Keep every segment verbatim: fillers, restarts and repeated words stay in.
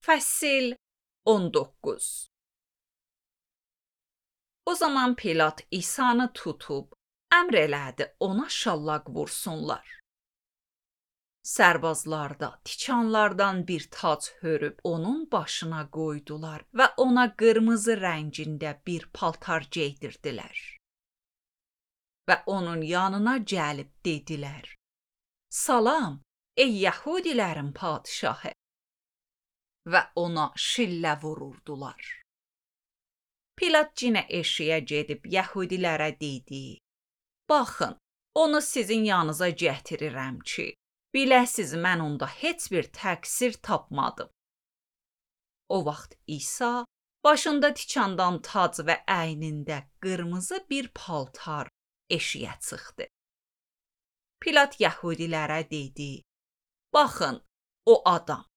Fəsil on doqquz. O zaman Pilat İsanı tutub, əmr elədi ona şallaq vursunlar. Sərbazlar da tikanlardan bir tac hörüb onun başına qoydular və ona qırmızı rəngində bir paltar geydirdilər. Və onun yanına gəlib dedilər: Salam, ey Yəhudilərin padişahı! Və ona şillə vururdular. Pilat cinə eşiyə gedib Yəhudilərə dedi: Baxın, onu sizin yanınıza gətirirəm ki, biləsiz mən onda heç bir təqsir tapmadım. O vaxt İsa başında tikandan tac və əynində qırmızı bir paltar eşiyə çıxdı. Pilat Yəhudilərə dedi: Baxın, o adam.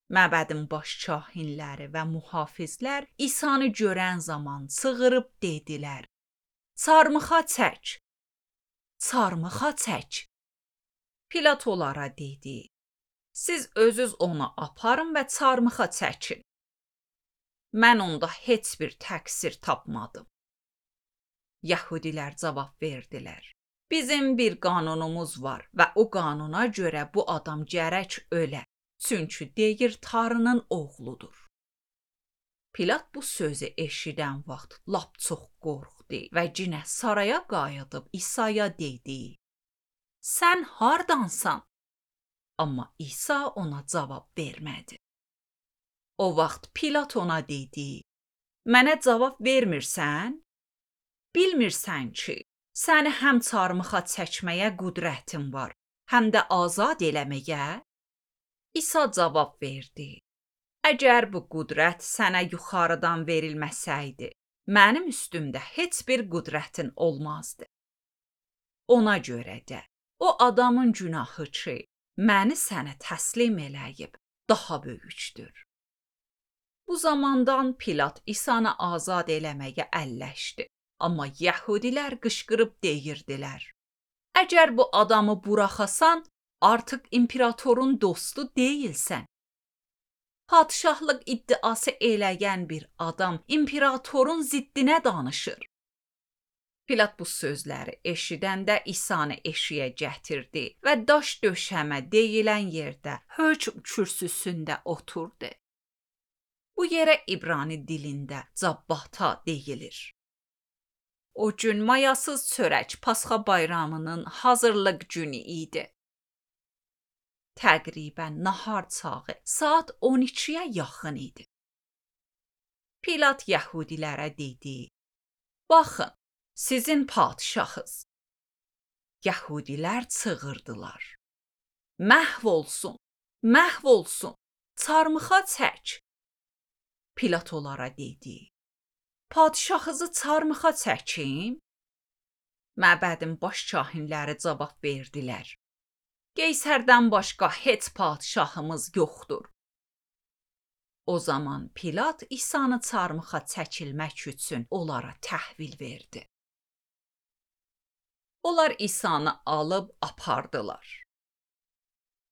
Məbədin baş kahinləri və mühafizlər İsanı görən zaman çığırıb dedilər: Çarmıxa çək! Çarmıxa çək! Pilat onlara dedi: Siz özünüz onu aparın və çarmıxa çəkin. Mən onda heç bir təqsir tapmadım. Yəhudilər cavab verdilər: Bizim bir qanunumuz var və o qanuna görə bu adam gərək ölə. Çünki deyir Tanrının oğludur. Pilat bu sözü eşidən vaxt lap çox qorxdu və cinə saraya qayıdıb İsa'ya dedi: Sən hardansan? Amma İsa ona cavab vermədi. O vaxt Pilat ona dedi: Mənə cavab vermirsən? Bilmirsən ki, səni həm çarmıxa çəkməyə qüdrətin var, həm də azad eləməyə? İsa cavab verdi: Əgər bu qüdrət sənə yuxarıdan verilməsəydi, mənim üstümdə heç bir qüdrətin olmazdı. Ona görə də o adamın günahı ki, məni sənə təslim eləyib, daha böyükdür. Bu zamandan Pilat İsanı azad eləməyə əlləşdi. Amma Yəhudilər qışqırıb deyirdilər: Əgər bu adamı buraxasan, artıq imperatorun dostu deyilsən. Padişahlıq iddiası eləyən bir adam imperatorun ziddinə danışır. Pilat bu sözləri eşidəndə İsanı eşiyə gətirdi və daş döşəmə deyilən yerdə hökm kürsüsündə oturdu. Bu yerə İbrani dilində Cabbata deyilir. O gün mayasız çörək Pasxa bayramının hazırlıq günü idi. Təqribən nahar çağı saat on ikiyə yaxın idi. Pilat Yəhudilərə dedi: Baxın, sizin padişahınız. Yəhudilər çığırdılar: Məhv olsun, məhv olsun, çarmıxa çək. Pilat onlara dedi: Padişahınızı çarmıxa çəkim? Məbədin baş kahinləri cavab verdilər: Qeysərdən başqa heç padişahımız yoxdur. O zaman Pilat İsanı çarmıxa çəkilmək üçün onlara təhvil verdi. Onlar İsanı alıb apardılar.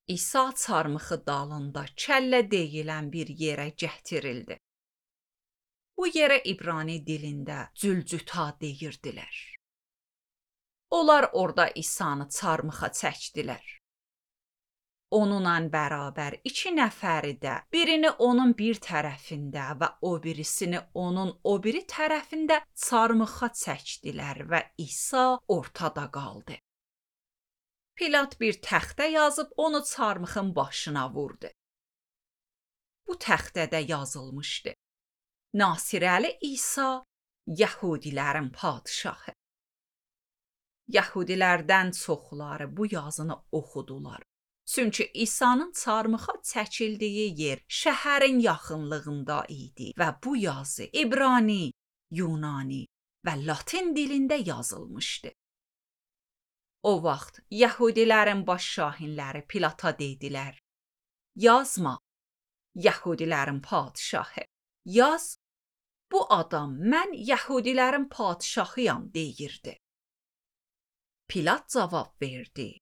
İsa çarmıxı dalında kəllə deyilən bir yerə gətirildi. Bu yerə İbrani dilində Cülcüta deyirdilər. Onlar orada İsanı çarmıxa çəkdilər. Onunla bərabər iki nəfəri də birini onun bir tərəfində və o birisini onun o biri tərəfində çarmıxa çəkdilər və İsa ortada qaldı. Pilat bir təxtə yazıb onu çarmıxın başına vurdu. Bu təxtədə yazılmışdı: Nasirəli İsa, Yəhudilərin padişahı. Yəhudilərdən çoxları bu yazını oxudular. Çünki İsa'nın çarmıxa çəkildiyi yer şəhərin yaxınlığında idi və bu yazı İbrani, Yunani və Latin dilində yazılmışdı. O vaxt Yəhudilərin baş kahinləri Pilata dedilər: Yazma, Yəhudilərin padişahı. Yaz, bu adam mən Yəhudilərin padişahıyam deyirdi. Pilat cavab verdi: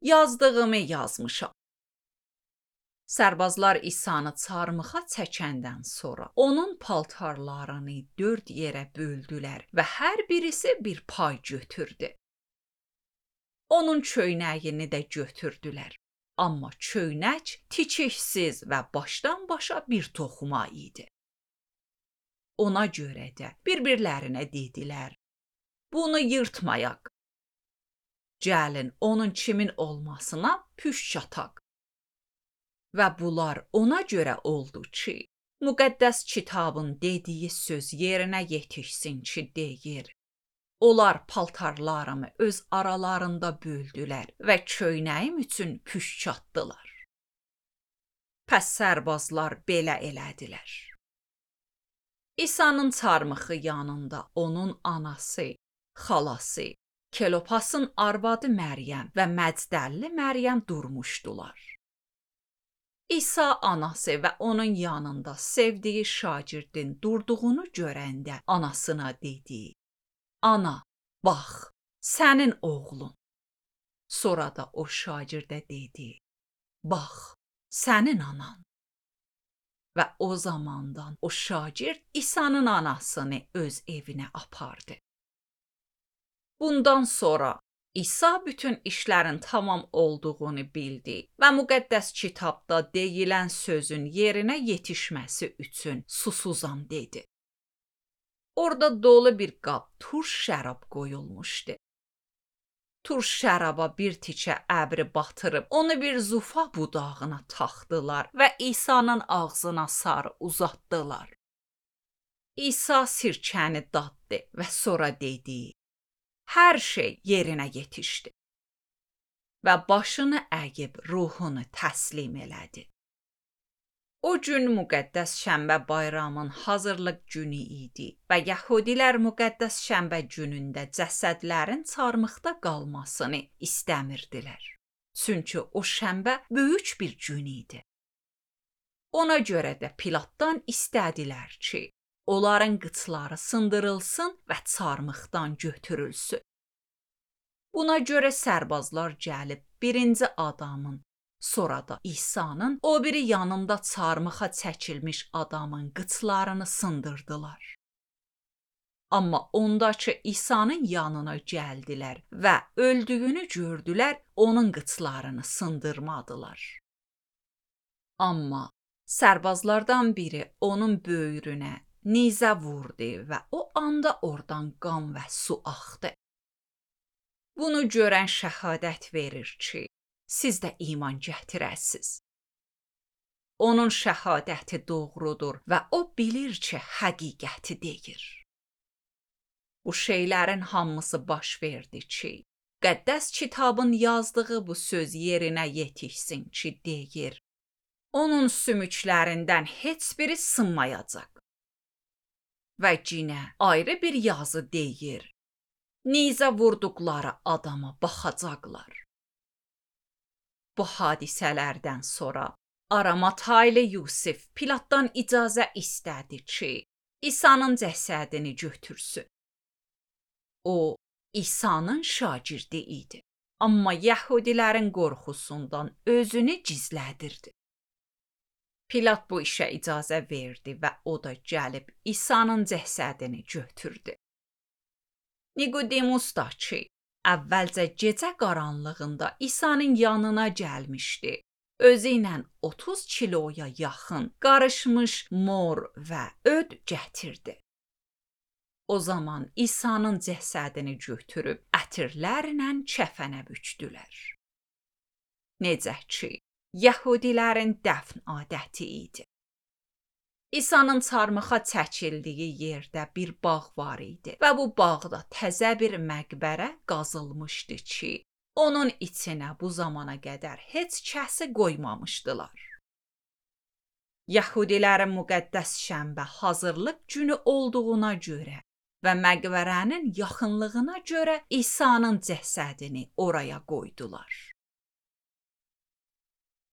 Yazdığımı yazmışam. Sərbazlar İsanı çarmıxa çəkəndən sonra onun paltarlarını dörd yerə böldülər və hər birisi bir pay götürdü. Onun çöynəyini də götürdülər. Amma çöynək tikiksiz və başdan başa bir toxuma idi. Ona görə də bir-birlərinə dedilər: "Bunu yırtmayaq. Gəlin onun kimin olmasına püşk ataq." Və bunlar ona görə oldu ki, müqəddəs kitabın dediyi söz yerinə yetişsin ki, deyir: "Onlar paltarlarımı öz aralarında böldülər və çöynəyim üçün püşk atdılar." Pəs sərbazlar belə elədilər. İsa'nın çarmıxı yanında onun anası, xalası, Kelopasın arvadı Məryəm və Məcdəlli Məryəm durmuşdular. İsa anası və onun yanında sevdiyi şagirdin durduğunu görəndə anasına dedi: "Ana, bax, sənin oğlun." Sonra da o şagirdə dedi: "Bax, sənin anan." Və o zamandan o şagird İsa'nın anasını öz evinə apardı. Bundan sonra İsa bütün işlərin tamam olduğunu bildi və müqəddəs kitabda deyilən sözün yerinə yetişməsi üçün susuzam dedi. Orada dolu bir qab turş şərab qoyulmuşdu. Turş şəraba bir tikə əbri batırıb onu bir zufa budağına taxdılar və İsa'nın ağzına sarı uzatdılar. İsa sirkəni daddı və sonra dedi: "Hər şey yerinə yetişdi." Və başını əyib ruhunu təslim elədi. O gün müqəddəs şənbə bayramın hazırlıq günü idi və Yəhudilər müqəddəs şənbə günündə cəsədlərin çarmıxda qalmasını istəmirdilər. Çünki o şənbə böyük bir gün idi. Ona görə də Pilatdan istədilər ki, onların qıçları sındırılsın və çarmıxdan götürülsün. Buna görə sərbazlar gəlib birinci adamın, sonra da İsa'nın o biri yanında çarmıxa çəkilmiş adamın qıçlarını sındırdılar. Amma ondakı İsa'nın yanına gəldilər və öldüyünü gördülər, onun qıçlarını sındırmadılar. Amma sərbazlardan biri onun böyrünə nizə vurdu və o anda oradan qan və su axdı. Bunu görən şəhadət verir ki, siz də iman gətirəsiz. Onun şəhadəti doğrudur və o bilir ki, həqiqəti deyir. Bu şeylərin hamısı baş verdi ki, Qəddəs kitabın yazdığı bu söz yerinə yetişsin ki, deyir: "Onun sümüklərindən heç biri sınmayacaq." Və yenə ayrı bir yazı deyir: "Nizə vurduqları adama baxacaqlar." Bu hadisələrdən sonra Aramataylı Yusif Pilatdan icazə istədi ki, İsa'nın cəsədini götürsün. O, İsa'nın şagirdi idi, amma Yəhudilərin qorxusundan özünü gizlədirdi. Pilat bu işə icazə verdi və o da gəlib İsa'nın cəsədini götürdü. Nikodemus da ki, əvvəlcə gecə qaranlığında İsa'nın yanına gəlmişdi, özü ilə otuz kiloya yaxın qarışmış mor və öd gətirdi. O zaman İsa'nın cəsədini götürüb ətirlərlə kəfənə bükdülər. Necə ki, Yəhudilərin dəfn adəti idi. İsa'nın çarmıxa çəkildiyi yerdə bir bağ var idi və bu bağda təzə bir məqbərə qazılmışdı ki, onun içinə bu zamana qədər heç kəsi qoymamışdılar. Yəhudilərin müqəddəs şənbə hazırlıq günü olduğuna görə və məqbərənin yaxınlığına görə İsa'nın cəsədini oraya qoydular.